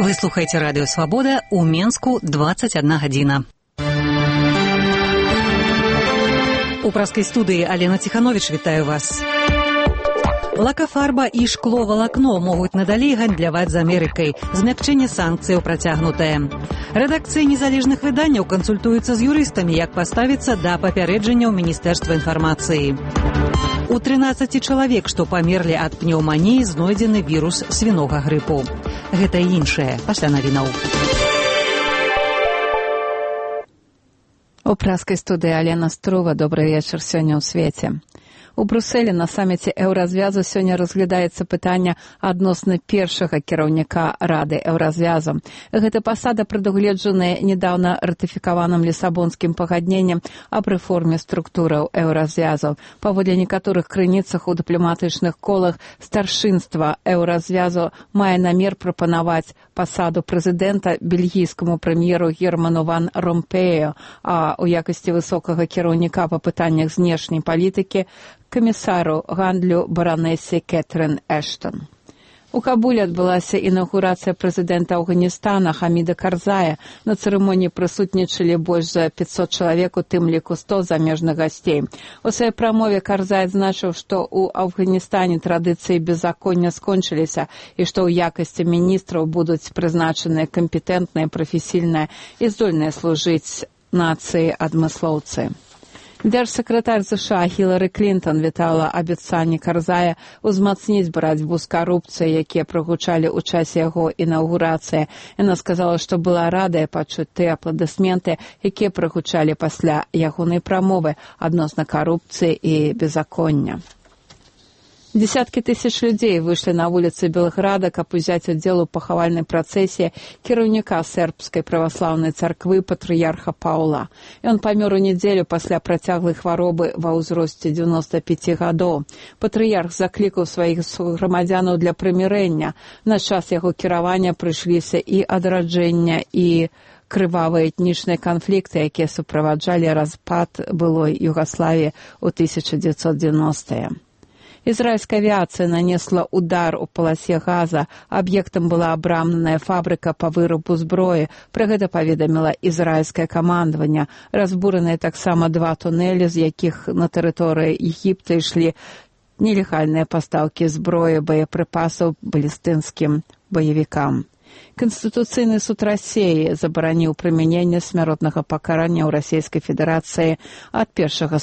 Вы слухаеце радыё Свабода, у Менску 21 гадзіна. У праскай студыі Алена Ціхановіч вітаю вас. Лакафарба і шкло-валакно могуць надалей гандляваць з Амерыкай. Змякчэнне санкцыяў працягнутае. Рэдакцыі незалежных выданняў кансультуюцца з юрыстамі, як паставіцца да папярэджанняў Міністэрства інфармацыі. У 13 чалавек, што памерлі ад пнеўманіі, знойдзены вірус свінога грыпу. Гэта і іншае пасля навінаў. У праскай студыі Алена Струва. Добрый вечар сёння ў свеце. У Брусэлі на саміце Еўразвязу сёння разглядаецца пытанне адносна першага кіраўніка Рады Еўразвязу. Гэта пасада прадугледжаная нядаўна ратыфікаваным лісабонскім пагадненнем аб рэформе структураў Еўразвязу. Паводле некаторых крыніцах у дыпламатычных колах старшынства Еўразвязу мае намер прапанаваць пасаду прэзідэнта бельгійскаму прэм'еру Герману ван Ромпею, а ў якасці высокага кіраўніка па пытаннях знешняй палітыкі камісару гандлю баранэсе Кэтрын Эштон. У Кабуле адбылася інаўгурацыя прэзідэнта Афганістана Хаміда Карзая. На цырымоніі прысутнічалі больш за 500 чалавек, у тым ліку 100 замежных гасцей. У сваёй прамове Карзай адзначыў, што ў Афганістане традыцыі беззаконня скончыліся і што ў якасці міністраў будуць прызначаныя кампетэнтныя, прафесійныя і здольныя служыць нацыі адмыслоўцы. Дзяржсакратар США Хілары Клінтон вітала абяцанні Карзая узмацніць барацьбу з карупцыяй, якія прагучалі ў часе яго інаўгурацыі. Яна сказала, што была радая пачуць тыя апладысменты, якія прагучалі пасля ягонай прамовы адносна карупцыі і беззаконня. Десяткі тысяч людзей выйшлі на вуліцы Белграда, каб узяць удзел у пахавальнай працэсіі кіраўніка сербскай праваслаўнай царквы патрыярха Паўла. Ён памёр у нядзелю пасля працяглай хваробы ва ўзросце 95 гадоў. Патрыярх заклікаў сваіх грамадзянаў для прымірэння. На час яго кіравання прыйшліся і адраджэння, і крывавыя этнічныя канфлікты, якія суправаджалі распад былой Югаславіі ў 1990-е. Ізраільская авіацыя нанесла удар у паласе Газа. Аб'ектам была абрамленая фабрыка па вырабу зброі. Пра гэта паведаміла ізраільскае камандаванне. Разбураныя таксама 2 тунэлі, з якіх на тэрыторыі Егіпта ішлі нелегальныя пастаўкі зброі, боепрыпасаў балістынскім баевікам. Канстытуцыйны суд Расіі забараніў прымяненне смяротнага пакарання ў Расійскай Федэрацыі ад 1